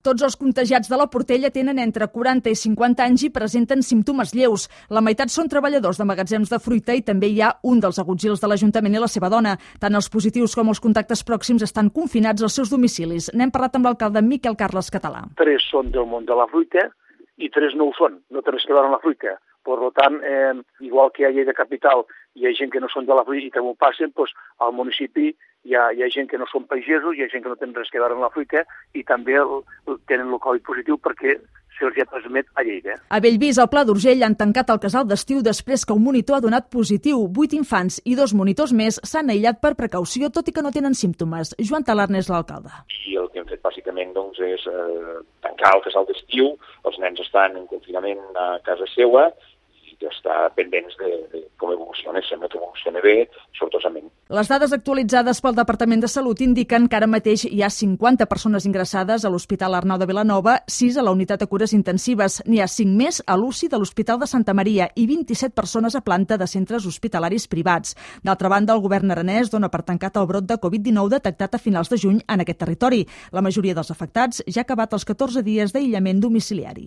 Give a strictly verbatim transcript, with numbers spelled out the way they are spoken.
Tots els contagiats de la Portella tenen entre quaranta i cinquanta anys i presenten símptomes lleus. La meitat són treballadors de magatzems de fruita i també hi ha un dels agutzils de l'Ajuntament i la seva dona. Tant els positius com els contactes pròxims estan confinats als seus domicilis. N'hem parlat amb l'alcalde Miquel Carles Català. Tres són del món de la fruita i tres no ho són, no té res a veure amb la fruita. Per tant, eh, igual que a Lleida Capital hi ha gent que no són de la fruita i també ho passen, doncs al municipi hi ha, hi ha gent que no són pagesos, hi ha gent que no tenen res a veure amb la fruita i també el, el, tenen el Covid positiu perquè se'ls ha transmet a Lleida. A Bellvís, al Pla d'Urgell, han tancat el casal d'estiu després que un monitor ha donat positiu. Vuit infants i dos monitors més s'han aïllat per precaució, tot i que no tenen símptomes. Joan Talarn és l'alcalde. I el que hem fet bàsicament doncs, és eh, tancar el casal d'estiu, els nens estan en confinament a casa seva i estar pendents de, de com evoluciona. Sembla que evoluciona bé, sortosament. Les dades actualitzades pel Departament de Salut indiquen que ara mateix hi ha cinquanta persones ingressades a l'Hospital Arnau de Vilanova, sis a la unitat de cures intensives. N'hi ha cinc més a l'U C I de l'Hospital de Santa Maria i vint-i-set persones a planta de centres hospitalaris privats. D'altra banda, el govern aranès dona per tancat el brot de Covid dinou detectat a finals de juny en aquest territori. La majoria dels afectats ja ha acabat els catorze dies d'aïllament domiciliari.